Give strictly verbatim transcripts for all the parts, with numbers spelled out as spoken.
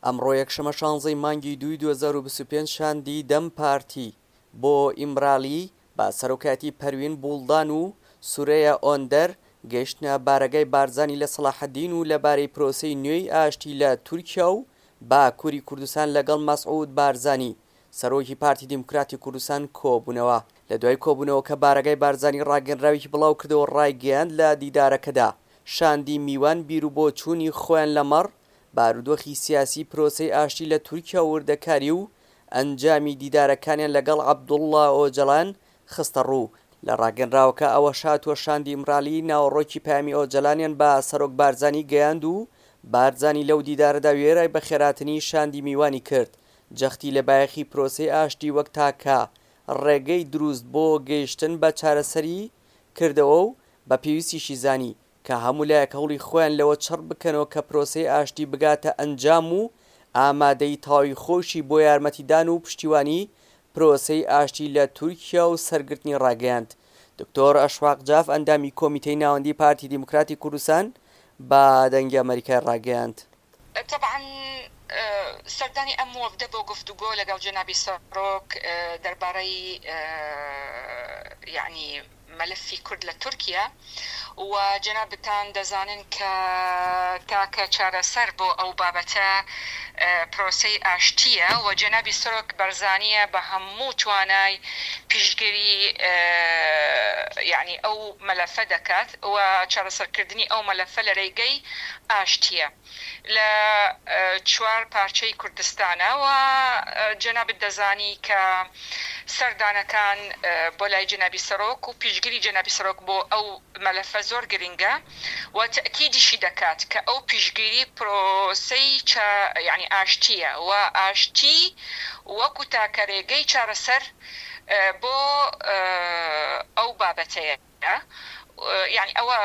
ئەمڕۆ یەکشەممە شانزەی مانگی دووی دوو هەزار و بیست و پێنج شاندی دەم پارتی بۆ ئیمرالی بە سەرۆکایەتی پەروین بوڵدان و سورەیا ئۆندەر گەیشتنە بارەگای بارزانی لە سەڵاحەدین و لەبارەی پرۆسەی نوێی ئاشتی لە تورکیا و باکووری کوردستان لەگەڵ مەسعود بارزانی سەرۆکی پارتی دیموکراتی کوردستان کۆبوونەوە. لە دوای کۆبوونەوەکە بارەگای بارزانی ڕاگەنراوێکی بڵاوکردەوە ڕایگەیاند لە دیدارەکەدا شاندی میوان بیروبۆچوونی خۆیان لەمەڕ بارودۆخی سیاسی پرۆسەی ئاشتی لە تورکیا و وردەکاری و ئەنجامی دیدارەکانیان لەگەڵ عەبدوڵڵا ئۆجەلان خستەڕوو. لە ڕاگەنراوەکە ئەوەش هاتووە شاندی ئیمرالی ناوەڕۆکی پەیامی ئۆجەلانیان بە سەرۆک بارزانی گەیاند و بارزانی لەو دیدارەدا وێرای بەخێرهاتنی شاندی میوانی کرد جەختی لە بایەخی پرۆسەی ئاشتی وەک تاکە ڕێگەی دروست بۆ گەیشتن بە چارەسەری کردەوە و بە پێویستیشی زانی کە هەموو لایەک هەوڵی خۆیان لەوە چڕ بکەنەوە کە پرۆسەی ئاشتی بگاتە ئەنجام و ئامادەی تەواوی خۆشی بۆ یارمەتیدان و پشتیوانی پرۆسەی ئاشتی لە تورکیا و سەرگرتنی ڕاگەیاند. دکتۆر ئەشواق جاف ئەندامی کۆمیتەی ناوەندی پارتی دیموکراتی کوردستان بە دەنگی ئەمەریکای ڕاگەیاند. تەبعەن سەردانی ئەم وەفدە بۆ گفتوگۆ لەگەڵ جەنابی سەرۆک دەربارەی یەعنی مەلەفی کورد لە تورکیا و جەنابتان دەزانن کە تاکە چارەسەر بۆ ئەو بابەتە پرۆسەی ئاشتییە و جەنابی سەرۆک بەرزانییە بە هەموو توانای پشتگیری یەعنی ئەو مەلەفە دەکات و چارەسەرکردنی ئەو مەلەفە لە رێگەی ئاشتییە لە چوار پارچەی کوردستانە و جەنابت دەزانی کە سەردانەکان بۆ لای جەنابی سەرۆک و پشتگیری جەنابی سەرۆک بۆ ئەو مەلەفە زۆر گرنگە و تەئکیدیشی دەکات کە ئەو پشتگیری پرۆسەی یعنی ئاشتییە و ئاشتی وەکو تاکە رێگەی چارەسەر بۆ ئەو بابەتەیە. یعنی ئەوە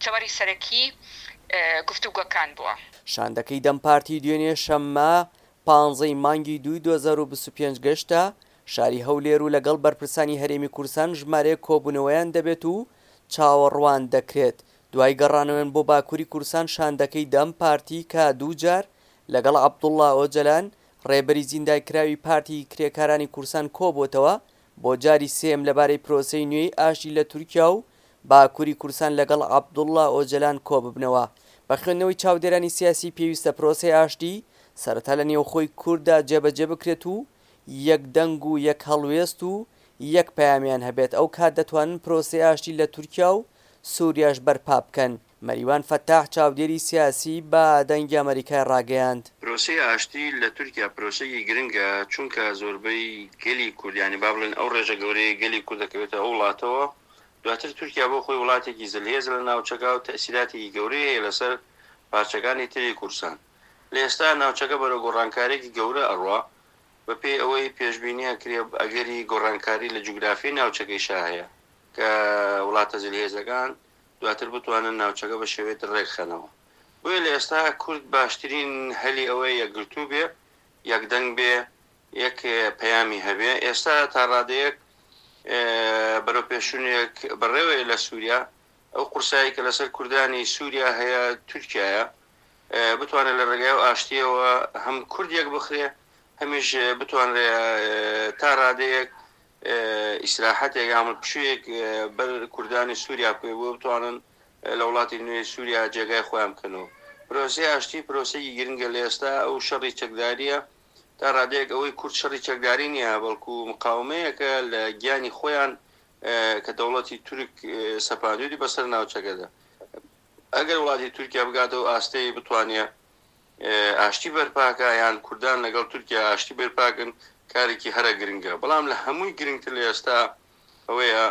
تەوەری سەرەکی گفتوگۆکان بووە. شاندەکەی دەم پارتی دوێنێ شەممە پانزەی مانگی دووی دوو هەزار و بیست و پێنج گەشتە شاری هەولێر و لەگەڵ بەرپرسانی هەرێمی کوردستان ژمارەیەک کۆبوونەوەیان دەبێت و چاوەڕوان دەکرێت. دوای گەڕانەوەیان بۆ باکووری کوردستان شاندەکەی دەم پارتی کە دوو جار لەگەڵ عەبدوڵڵا ئۆجەلان ڕێبەری زیندانکراوی پارتی کرێکارانی کوردستان کۆبووتەوە بۆ جاری سێم لەبارەی پرۆسەی نوێی ئاشتی لە تورکیا و باکووری کوردستان لەگەڵ عەبدوڵڵا ئۆجەلان کۆببنەوە. بە خوێندنەوەی چاودێرانی سیاسی پێویستە پرۆسەی ئاشتی سەرەتا لە نێوخۆی کورددا جێبەجێ بکرێت و یەک دەنگ و یەک هەڵوێست و یەک پەیامیان هەبێت. ئەو کات دەتوانن پرۆسەی ئاشتی لە تورکیا و سووریاش بەرپا بکەن. مەریوان فەتاح چاودێری سیاسی بە دەنگی ئەمریکای ڕاگەیاند. پرۆسەی ئاشتی لە تورکیا پرۆسەیەکی گرنگە، چونکە زۆربەی گەلی کورد، یعنی با بڵێن ئەو ڕێژە گەورەیە گەلی کورد دەکەوێتە ئەو وڵاتەوە، دواتر تورکیا بۆ خۆی وڵاتێکی زلهێز لە ناوچەکە و تەئسیراتێکی گەورەی هەیە لەسەر پارچەکانی تری کوردستان. لە ئێستا ناوچەکە بەرەو گۆڕانکارێکی گەورە ئەڕوا، بەپێی ئەوەی پێشبینیە کرێ ئەگەری گۆڕانکاری لە جوگرافی ناوچەکەیشا هەیە کە وڵاتە زلهێزەکان دواتر بتوانن ناوچەکە بە شێوەیەک ڕێکخەنەوە. بۆیە لە ئێستا کورد باشترین هەلی ئەوەیە یەکگرتوو بێ، یەکدەنگ بێ، یەک پەیامی هەبێ. ئێستا تا ڕادەیەک بەرەو پێشونێک بەڕێوەیە لە سووریا، ئەو قورسایی کە لەسەر کوردانی سووریا هەیە تورکیایە، بتوانێت لە ڕێگای و ئاشتیەوە هەم کورد یەک بخرێ، هەمیش بتوانرێ تا ڕادەیەک ئیسراحەتێک یان پشوویەک بەر کوردانی سووریا بکەوێ بۆ بتوانن لە وڵاتی نوێی سووریا جێگای خۆیان بکەنەوە. پرۆسەی ئاشتی پرۆسەیەکی گرنگە لە ئێستا. ئەو شەڕی چەکداریە تا ڕادەیەک ئەوەی کورد شەڕی چەکداری نییە، بەڵکو مقاومەیەکە لە گیانی خۆیان کە دەوڵەتی تورک سەپاندووی بەسەر ناوچەکەدا. ئەگەر وڵاتی تورکیا بگاتەوە ئاستەی بتوانێت ئاشتی بەرپاکە یان کوردان لەگەڵ تورکیا ئاشتی بەرپاکن، کارێکی هەرە گرنگە. بەڵام لە هەمووی گرنگتر لە ئێستا ئەوەیە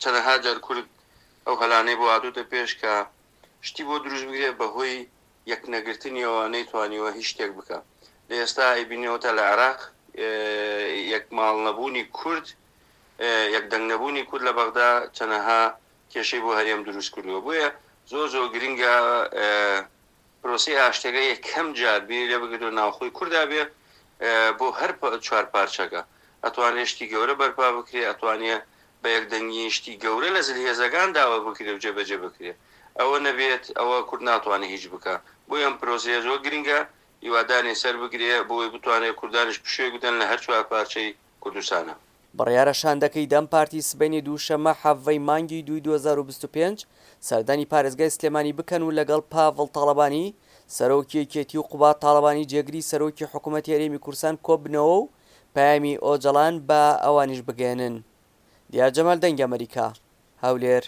چەنەها جار کورد ئەو هەلانەی بۆ هاتووتە پێش کە شتی بۆ دروست بگرێت بەهۆی یەکنەگرتنیەوە نەیتوانیوە هیچ شتێک بکە. لە ئێستا ئەیبینەوە تا لە عێراق یەک ماڵ نەبوونی کورد، یەک دەنگ نەبوونی کورد لە بەغدا چەنەها کێشەی بۆ هەرێم دروست کردووە. بۆیە زۆر زۆر گرنگە پرۆسەی ئاشتەکە یەکەم جار بیری لێ بگرێتەوە ناوخۆی کوردا بێ بۆ هەر چوار پارچەکە. ئەتوانێت شتی گەورە بەرپا بکرێ، ئەتوانێت بە یەکدەنگی شتی گەورە لە زلهێزەکان داوا بکرێ و جێبەجێ بکرێ. ئەوە نەبێت ئەوە کورد ناتوانێت هیچ بکە. بۆیە ئەم پرۆسەیە زۆر گرنگە، هیوادارین سەر بگرێ بۆی بتوانێ کوردانیش پشووێک بدەن لە هەر چوار پارچەی کوردستانا. بڕیارە شاندەکەی دەم پارتی سبەینێ دووشەممە حەڤدە ی مانگی دووی دوو هەزار و بیست و پێنج سەردانی پارێزگای سلێمانی بکەن و لەگەڵ پاڤڵ تاڵەبانی سەرۆکی یەکێتی و قوباد تاڵەبانی جێگری سەرۆکی حکومەتی هەرێمی کوردستان کۆببنەوە و پەیامی ئۆجەڵان بە ئەوانیش بگەیەنن. دیار جەمال دەنگی ئەمەریکا، هەولێر.